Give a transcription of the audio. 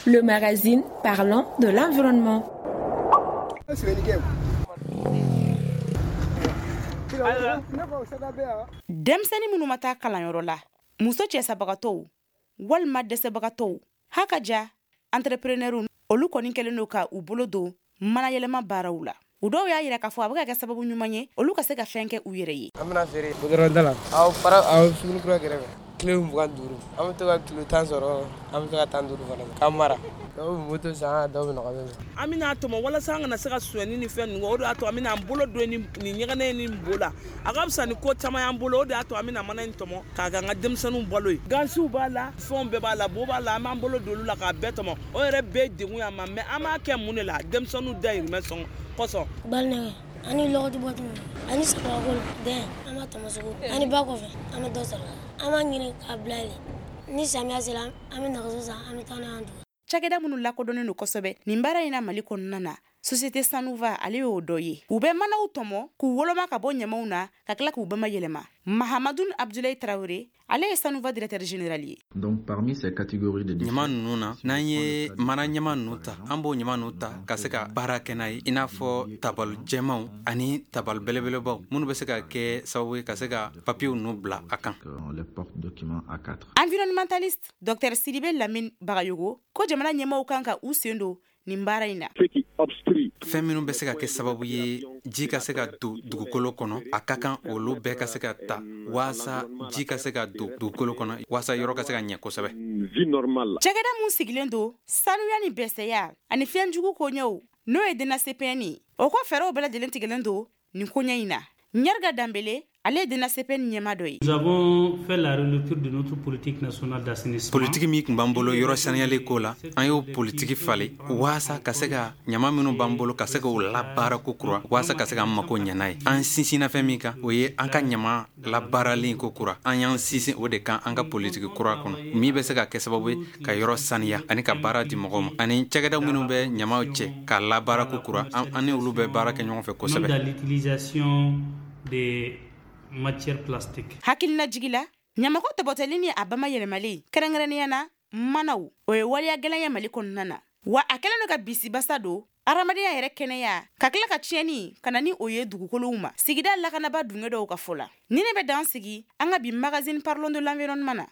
Le magazine parlant de l'environnement. Denmisɛnnin minnu ma taa kalanyɔrɔ la, muso cɛsabagatɔw walima dɛsɛbagatɔw, haka ja entrepreneur, olu kɔni kɛlen don ka u bolo don manayɛlɛma baaraw la. U dɔw y'a yira k'a fɔ a bɛ ka kɛ sababu ɲuman ye olu ka se ka fɛn kɛ u yɛrɛ ye. An bɛna feere goudron da la, aw fara aw sugu kura kɛrɛfɛ, kilo 25, an bɛ to ka kilo 10 sɔrɔ, an bɛ to ka 15 fana k'an mara. Dɔw bɛ moto san, dɔw bɛ nɔgɔya. An bɛna tɔmɔ walasa an kana se ka sonyɛni ni fɛn ninnu, o de y'a to an bɛna an bolo don nin ɲɛgɛnɛ ni bo la. A ka fisa ni ko caman y'an bolo, o de y'a to an bɛna mana in tɔmɔ k'a k'an ka denmisɛnninw balo ye. Gansiw b'a la, fɛnw bɛɛ b'a la, bo b'a la, an b'an bolo don olu la k'a bɛɛ tɔmɔ. O yɛrɛ bɛɛ ye degun y'an ma, mais an b'a kɛ mun de la? Denmisɛnninw dayirimɛ sɔngɔ kosɔn. Balinɛgɛ ani lɔgɔti bɔtɔ ani samakolo dɛn, an b'a tɔmɔ sugu ani ba kɔfɛ, an bɛ dɔ sɔrɔ, an b'a ɲini k'a bila yen. Ni samiya sera, an bɛ nɛgɛso san, an bɛ taa n'a ye dugu. Cakɛda minnu lakodɔnnen don kosɛbɛ nin baara in na Mali kɔnɔna na, Société Sanuva, ale y'o dɔ ye. U bɛ manaw tɔmɔ k'u woloma ka bɔ ɲamaw na, ka tila k'u bama yɛlɛma. Mahamadu Abdulayi Tarawele, ale ye Sanuva directeur général ye. Donc parmi ces catégories de ɲama ninnu na, n'an ye mana ɲama ninnu ta, an b'o ɲama ninnu ta ka se ka baara kɛ n'a ye, i n'a fɔ tabali jɛmanw ani tabali belebelebaw minnu bɛ se ka kɛ sababu ye ka se ka papiyew ninnu bila a kan. Les porte-documents A4. Environnementaliste Dr Sidibe Lamine Bagayogo ko jamana ɲɛmaaw kan ka u sen don nin baara in na. Fɛn minnu bɛ se ka kɛ sababu ye ji ka se ka don dugukolo kɔnɔ, a ka kan olu bɛɛ ka se ka ta waasa ji ka se ka don dugukolo kɔnɔ, waasa yɔrɔ ka se ka ɲɛ kosɛbɛ. Cakɛda mun sigilen don sanuya ni bɛsɛya ani fɛnjugu koɲɛw, n'o ye DNACPN ye, o ko fɛɛrɛw bɛɛ lajɛlen tigɛlen don nin koɲɛ in na. Ɲɛriga Danbele, ale ye DNACPN ɲɛma dɔ ye. Nous avons fait la relecture de notre politique nationale d'assainissement. Politiki min tun b'an bolo yɔrɔ saniyali ko la, an y'o politiki falen waasa ka se ka ɲama minnu b'an bolo ka se k'o labaara ko kura, waasa ka se k'an mako ɲɛ n'a ye. An sinsinna fɛn min kan, o ye an ka ɲama labaaralen ko kura. An y'an sinsin o de kan an ka politiki kura kɔnɔ, min bɛ se ka kɛ sababu ye ka yɔrɔ saniya ani ka baara di mɔgɔw ma, ani cakɛda minnu bɛ ɲamaw cɛ k'a labaara ko kura, an ni olu bɛ baara kɛ ɲɔgɔn fɛ kosɛbɛ. Dans l'utilisation des matières plastiques. Hakilina jigi la, ɲamako tɔbɔtɔli ni a bama yɛlɛmalen, kɛrɛnkɛrɛnnenya na manaw, o ye waleya gɛlɛn ye Mali kɔnɔna na, wa a kɛlen don ka bisibasa don adamadenya yɛrɛ kɛnɛya, ka tila ka tiɲɛni ka na ni o ye dugukolow ma. Sigida lakanaba dunge dɔw ka fɔ la, ni ne bɛ dan sigi an ka bi magazine parlons de l'environnement na.